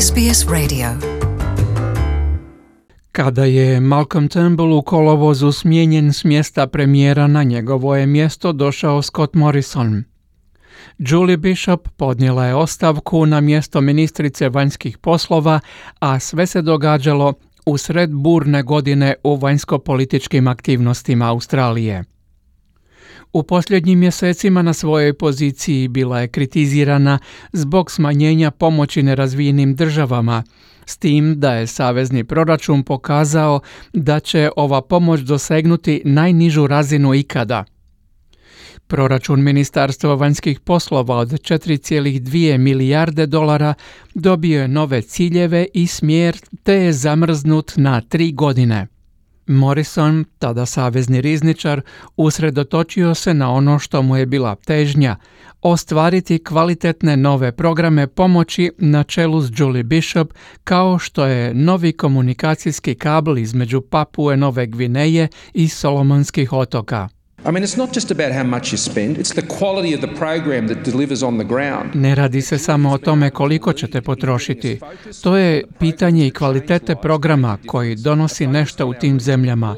SBS Radio. Kada je Malcolm Turnbull u kolovozu smijenjen s mjesta premijera, na njegovo je mjesto došao Scott Morrison. Julie Bishop podnijela je ostavku na mjesto ministrice vanjskih poslova, a sve se događalo usred burne godine u vanjsko-političkim aktivnostima Australije. U posljednjim mjesecima na svojoj poziciji bila je kritizirana zbog smanjenja pomoći nerazvijenim državama, s tim da je savezni proračun pokazao da će ova pomoć dosegnuti najnižu razinu ikada. Proračun Ministarstva vanjskih poslova od 4,2 milijarde dolara dobio je nove ciljeve i smjer, te je zamrznut na 3 godine. Morrison, tada savezni rizničar, usredotočio se na ono što mu je bila težnja, ostvariti kvalitetne nove programe pomoći na čelu s Julie Bishop, kao što je novi komunikacijski kabel između Papue Nove Gvineje i Solomonskih otoka. It's not just about how much you spend, it's the quality of the program that delivers on the ground. Ne radi se samo o tome koliko ćete potrošiti. To je pitanje i kvalitete programa koji donosi nešto u tim zemljama.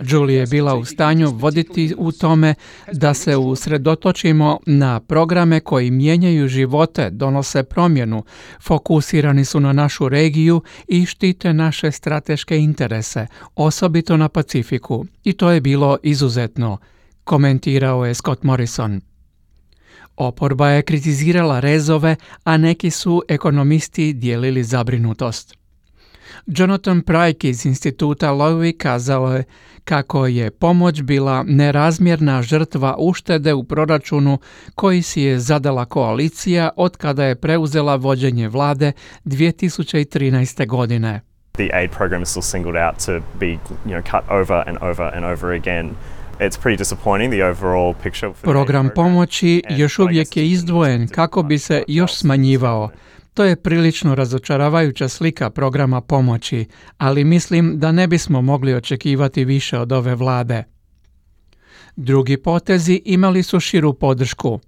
Julie je bila u stanju voditi u tome da se usredotočimo na programe koji mijenjaju živote, donose promjenu, fokusirani su na našu regiju i štite naše strateške interese, osobito na Pacifiku. I to je bilo izuzetno, komentirao je Scott Morrison. Oporba je kritizirala rezove, a neki su ekonomisti dijelili zabrinutost. Jonathan Pryke iz instituta Lowy kazao je kako je pomoć bila nerazmjerna žrtva uštede u proračunu koji si je zadala koalicija od kada je preuzela vođenje vlade 2013. godine. The aid program is still singled out to be, cut over and over and over again. It's pretty disappointing, the overall picture. Program pomoći još uvijek je izdvojen kako bi se još smanjivao. To je prilično razočaravajuća slika programa pomoći, ali mislim da ne bismo mogli očekivati više od ove vlade. Drugi potezi imali su širu podršku.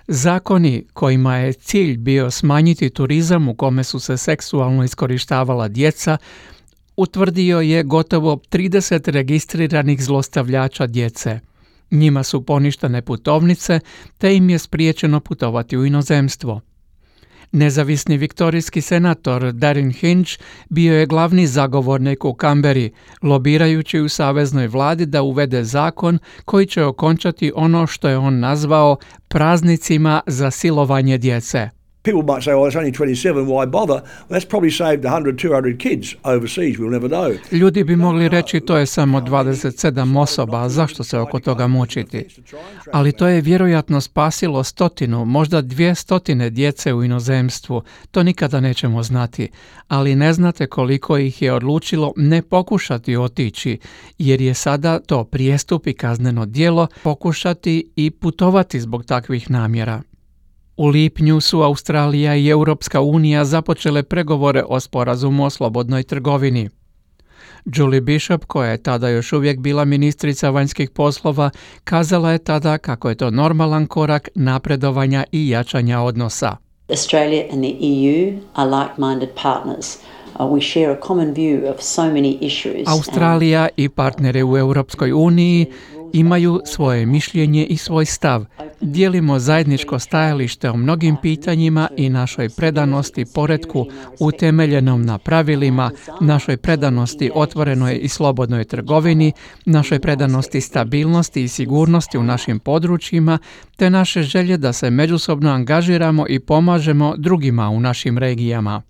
Zakoni kojima je cilj bio smanjiti turizam u kome su se seksualno iskorištavala djeca, utvrdio je gotovo 30 registriranih zlostavljača djece. Njima su poništene putovnice, te im je spriječeno putovati u inozemstvo. Nezavisni viktorijski senator Darren Hinch bio je glavni zagovornik u Kamberi, lobirajući u saveznoj vladi da uvede zakon koji će okončati ono što je on nazvao praznicima za silovanje djece. People might say, it's only 27, why bother? Well, that's probably saved 100, 200 kids overseas, we'll never know. Ljudi bi mogli reći to je samo 27 osoba, zašto se oko toga mučiti? Ali to je vjerojatno spasilo 100, možda 200 djece u inozemstvu, to nikada nećemo znati. Ali ne znate koliko ih je odlučilo ne pokušati otići, jer je sada to prijestup i kazneno djelo pokušati i putovati zbog takvih namjera. U lipnju su Australija i Europska unija započele pregovore o sporazumu o slobodnoj trgovini. Julie Bishop, koja je tada još uvijek bila ministrica vanjskih poslova, kazala je tada kako je to normalan korak napredovanja i jačanja odnosa. Australia and the EU are like-minded partners. We share a common view of so many issues. Australija i partneri u Europskoj uniji imaju svoje mišljenje i svoj stav. Dijelimo zajedničko stajalište o mnogim pitanjima i našoj predanosti poretku utemeljenom na pravilima, našoj predanosti otvorenoj i slobodnoj trgovini, našoj predanosti stabilnosti i sigurnosti u našim područjima, te naše želje da se međusobno angažiramo i pomažemo drugima u našim regijama.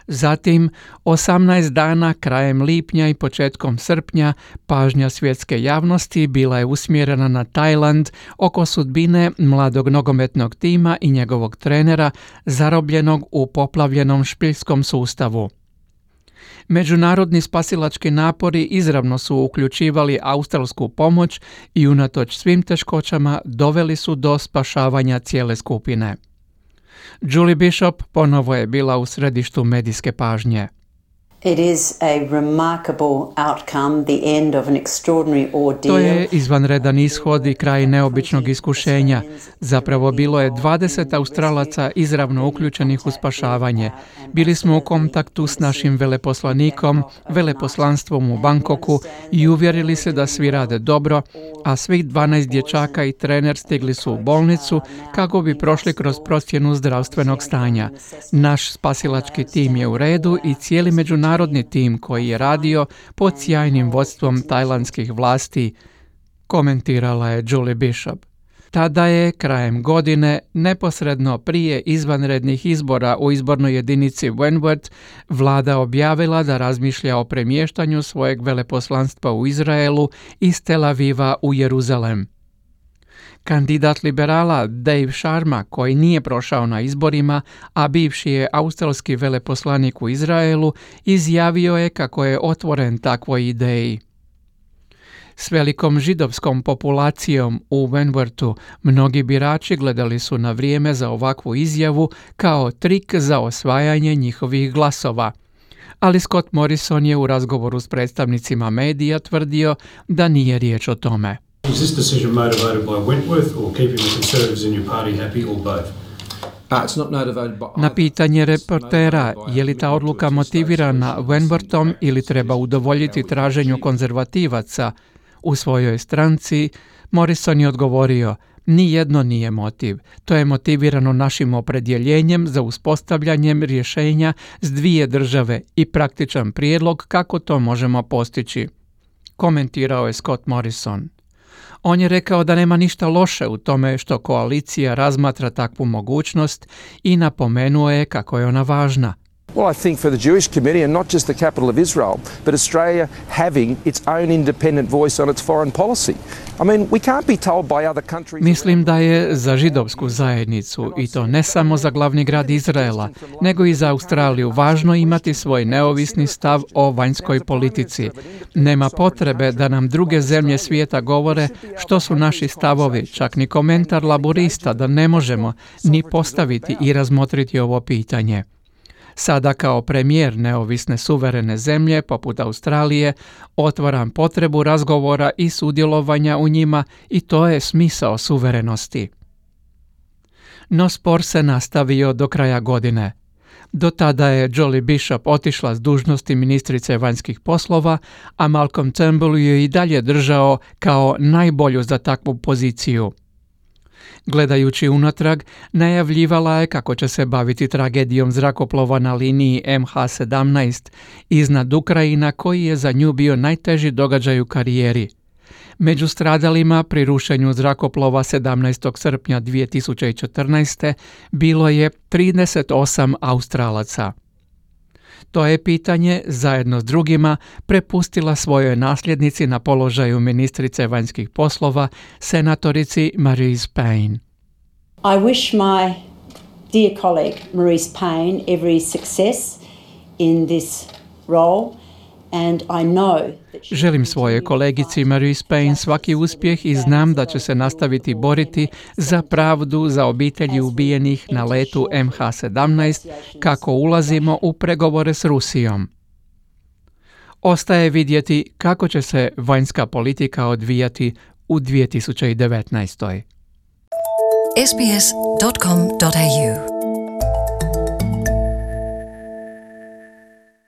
Zatim, 18 dana krajem lipnja i početkom srpnja pažnja svjetske javnosti bila je usmjerena na Tajland oko sudbine mladog nogometnog tima i njegovog trenera zarobljenog u poplavljenom špiljskom sustavu. Međunarodni spasilački napori izravno su uključivali australsku pomoć i unatoč svim teškoćama doveli su do spašavanja cijele skupine. Julie Bishop ponovo je bila u središtu medijske pažnje. It is a remarkable outcome, the end of an extraordinary ordeal. To je izvanredan ishod i kraj neobičnog iskušenja. Zapravo bilo je 20 Australaca izravno uključenih u spašavanje. Bili smo u kontaktu s našim veleposlanikom, veleposlanstvom u Bangkoku i uvjerili se da svi rade dobro, a svih 12 dječaka i trener stigli su u bolnicu kako bi prošli kroz procjenu zdravstvenog stanja. Naš spasilački tim je u redu i cijeli međunarodni tim koji je radio pod sjajnim vodstvom tajlandskih vlasti, komentirala je Julie Bishop. Tada je krajem godine, neposredno prije izvanrednih izbora u izbornoj jedinici Wentworth, vlada objavila da razmišlja o premještanju svojeg veleposlanstva u Izraelu iz Tel Aviva u Jeruzalem. Kandidat liberala Dave Sharma, koji nije prošao na izborima, a bivši je australski veleposlanik u Izraelu, izjavio je kako je otvoren takvoj ideji. S velikom židovskom populacijom u Wentworthu mnogi birači gledali su na vrijeme za ovakvu izjavu kao trik za osvajanje njihovih glasova. Ali Scott Morrison je u razgovoru s predstavnicima medija tvrdio da nije riječ o tome. Is this decision motivated by Wentworth or keeping the Conservatives in your party happy or both? Na pitanje reportera je li ta odluka motivirana Wentworthom ili treba udovoljiti traženju konzervativaca u svojoj stranci, Morrison je odgovorio: ni jedno nije motiv. To je motivirano našim opredjeljenjem za uspostavljanjem rješenja s dvije države i praktičan prijedlog kako to možemo postići, komentirao je Scott Morrison. On je rekao da nema ništa loše u tome što koalicija razmatra takvu mogućnost i napomenuo je kako je ona važna. Well, I think for the Jewish community, and not just the capital of Israel, but Australia having its own independent voice on its foreign policy. I mean, we can't be told by other countries... Mislim da je za židovsku zajednicu, i to ne samo za glavni grad Izraela, nego i za Australiju, važno imati svoj neovisni stav o vanjskoj politici. Nema potrebe da nam druge zemlje svijeta govore što su naši stavovi, čak ni komentar laborista da ne možemo ni postaviti i razmotriti ovo pitanje. Sada kao premijer neovisne suverene zemlje poput Australije otvaram potrebu razgovora i sudjelovanja u njima i to je smisao suverenosti. No spor se nastavio do kraja godine. Do tada je Julie Bishop otišla s dužnosti ministrice vanjskih poslova, a Malcolm Turnbull ju je i dalje držao kao najbolju za takvu poziciju. Gledajući unatrag, najavljivala je kako će se baviti tragedijom zrakoplova na liniji MH17 iznad Ukrajina, koji je za nju bio najteži događaj u karijeri. Među stradalima pri rušenju zrakoplova 17. srpnja 2014. bilo je 38 Australaca. To je pitanje, zajedno s drugima, prepustila svojoj nasljednici na položaju ministrice vanjskih poslova, senatorici Marise Payne. I wish my dear colleague Marise Payne every success in this role, and I know that she... Želim svojoj kolegici Marise Payne svaki uspjeh i znam da će se nastaviti boriti za pravdu za obitelji ubijenih na letu MH17 kako ulazimo u pregovore s Rusijom. Ostaje vidjeti kako će se vanjska politika odvijati u 2019. sbs.com.au